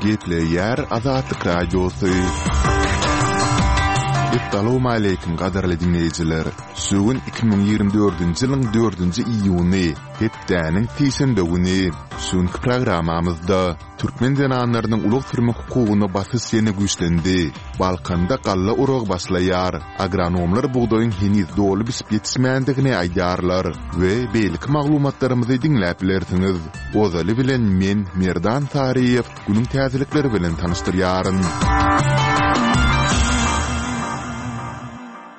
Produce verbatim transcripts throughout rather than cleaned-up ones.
Gepleýär Azatlyk Radiosy. Essalawmaleýkim gadyrly diňleýjiler! Şu gün iki müň ýigrimi dördünji ýylyň dördünji iýuny, hepdäniň sişenbe güni. Şu günki programmamyzda türkmen zenanlarynyň ulag sürmek hukugyna basyş ýene güýçlendi. Balkanda galla oragy başlaýar. Agronomlar bugdaýyň heniz doly bişip ýetişmändigini aýdýarlar we beýleki maglumatlarymyzy diňläp bilersiňiz. Ozaly bilen men, Merdan Saryýew, günüň täzelikleri bilen tanyşdyrýaryn.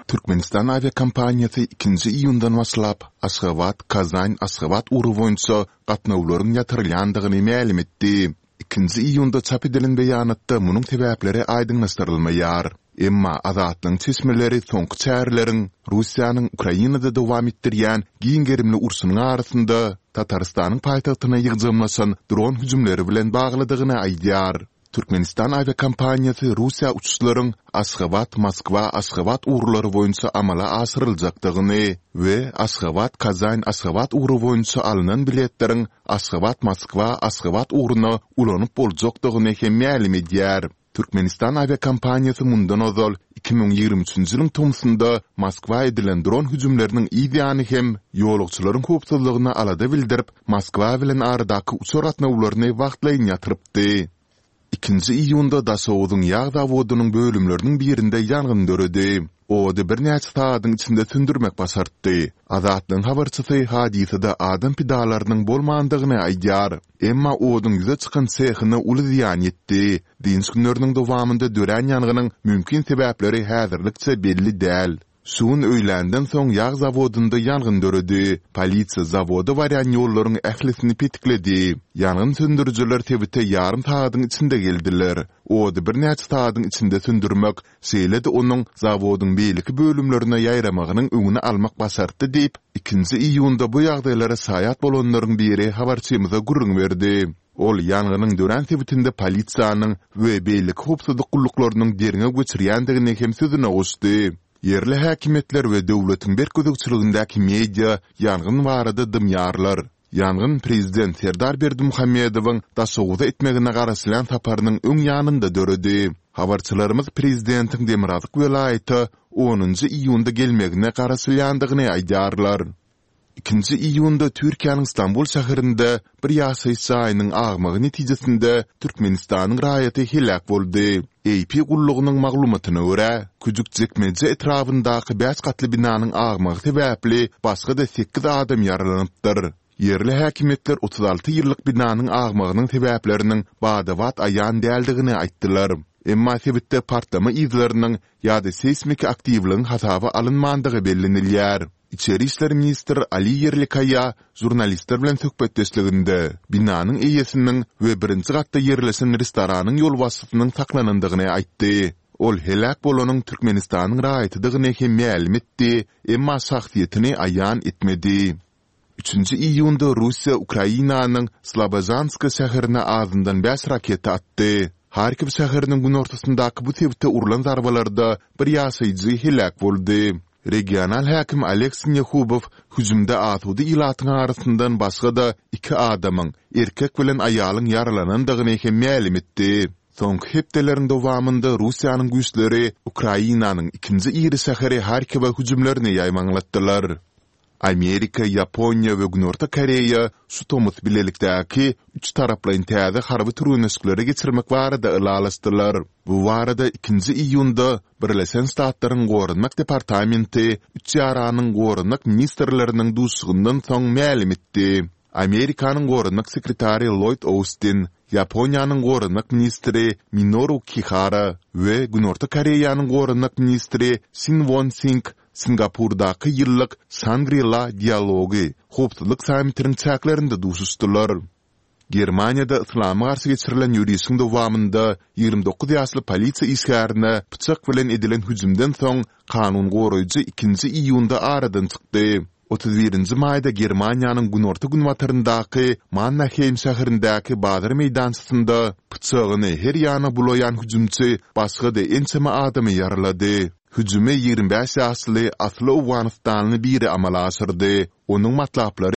Türkmenistan awiakompaniýasy ikinji iýundan başlap, Aşgabat, Kazan, Aşgabat ugry boýunça gatnawlaryň ýatyrylýandygyny mälim etdi. Ikinji iýunda çap edilen beýanatda munuň sebäpleri aýdyňlaşdyrylmaýar. Emma Azatlygyň çeşmeleri soňky çäreleriň Russiýanyň Ukrainada dowam etdirýän giň gerimli urşunyň arasynda Tatarystanyň paýtagtyna ýygjamlaşan dron hüjümleri bilen baglydygyny aýdýar. Türkmenistan awiakompaniýasy Russiýa uçuşlaryň Aşgabat, Moskwa, Aşgabat ugurlary boýunça amala aşyryljakdygyny we Aşgabat, Kazan, Aşgabat ugry boýunça alnan biletleriň Aşgabat, Moskwa, Aşgabat ugruna ulanyp boljakdygyny hem mälim edýär. Türkmenistan awiakompaniýasy mundan ozal, iki müň ýigrimi üçünji ýylyň tomsunda Moskwa edilen dron hüjümleriniň yz ýany hem ýolagçylaryň howpsuzlygyna alada bildirip, Moskwa bilen aradaky uçar gatnawlaryny wagtlaýyn ýatyrypdy. Ikinji iýunda Daşoguzyň ýag zawodynyň bölümleriniň birinde ýangyn döredi. Ody birnäçe sagadyň içinde söndürmek başartdy. Azatlygyň habarçysy hadysada adam pidalarynyň bolmandygyny aýdýar. Emma oduň ýüze çykan sehine uly zyýan ýetdi. Dynç günleriniň dowamynda dörän ýangynyň mümkin sebäpleri häzirlikçe belli däl. Şu gün öýländen soň ýag zawodynda ýangyn döredi. Polisiýa zawoda barýan ýollaryň ählisini petikledi. Ýangyn söndürijiler sebite ýarym sagadyň içinde geldiler. Ody birnäçe sagadyň içinde söndürmek, şeýle-de onuň zawodyň beýleki bölümlerine ýaýramagynyň öňüni almak başartdy diýip, ikinji iýunda bu ýagdaýlara şaýat bolanlaryň biri habarçymyza gürrüň berdi. Ol ýangynyň dörän sebitinde polisiýanyň we beýleki howpsuzlyk gulluklarynyň derňew geçirýändigini hem sözüne goşdy. Ýerli häkimiýetler we döwletiň berk gözegçiligindäki media ýangyn barada dymýarlar. Ýangyn prezident Serdar Berdimuhamedowyň Daşoguza etmegine garaşylýan saparynyň öň ýanynda döredi. Habarçylarymyz prezidentiň demirgazyk welaýata onunjy iýunda gelmegine garaşylýandygyny aýdýarlar. Ikinji iýunda Türkiýäniň Stambul şäherinde bir ýaşaýyş jaýynyň agmagy netijesinde Türkmenistanyň raýaty heläk boldy. AP gullugynyň maglumatyna görä, Küçükçekmeje etrabyndaky bäş gatly binanyň agmagy sebäpli başga-da sekiz adam ýaralanypdyr. Ýerli häkimiýetler otuz alty ýyllyk binanyň agmagynyň sebäpleriniň bada-bat aýan däldigini aýtdylar. Emma sebitde partlama yzlarynyň ýa-da seýsmiki aktiwligiň hasaba alynmandygy bellenilýär. Içeri işler ministr Ali Ýerlikaýa žurnalistler bilen söhbetdeşliginde binanyň eýesiniň we birinji gatda ýerleşen restoranyň ýolbaşçysynyň saklanandygyny aýtdy. Ol heläk bolanyň Türkmenistanyň raýatydygyny hem mälim etdi, emma şahsyýetini aýan etmedi. Üçünji iýunda Russiýa Ukrainanyň Slobožanska şäherine azyndan bäş raketa atdy. Harkiw şäheriniň günortasyndaky bu sebite urlan zarbalarda bir ýaşaýjy heläk boldy. Regional häkim Oleg Sinehubow hüjümde asuda ilatyň arasyndan başga-da iki adamyň, erkek bilen aýalyň ýaralanandygyny hem mälim etdi. Soňky hepdeleriň dowamynda Russiýanyň güýçleri Ukrainanyň ikinji iri şäheri Harkiwe hüjümlerini ýaýbaňlatdylar. Amerika, Ýaponiýa we Günorta Koreýa şu tomus bilelikdäki üç taraplaýyn täze harby türgenleşikleri geçirmek barada ylalaşdylar. Bu barada ikinji iýunda Birleşen Ştatlaryň Goranmak departamenti üç ýaranyň goranmak ministrleriniň duşuşygyndan soň mälim etdi. Amerikanyň goranmak sekretary Lloýd Austin, Ýaponiýanyň goranmak ministri Minoru Kihara we Günorta Koreýanyň goranmak ministri Şin Won Sing Singapurdaky ýyllyk Şangri-La dialogy howpsuzlyk sammitiniň çäklerinde duşuşdylar. Germaniýada yslama garşy geçirilen ýörişiň dowamynda ýigrimi dokuz ýaşly polisiýa işgärine pyçak bilen edilen hüjümden soň kanun goraýjy ikinji iýunda aradan çykdy. Otuz birinji maýda Germaniýanyň günorta-günbataryndaky Mannaheým şäherindäki bazar meýdançasynda pyçagyny her ýana bulaýan hüjümçi başga-da ençeme adamy ýaralady. Hüjümi ýigrimi bäş ýaşly, asly owganystanly biri amala aşyrdy. Onuň matlaplary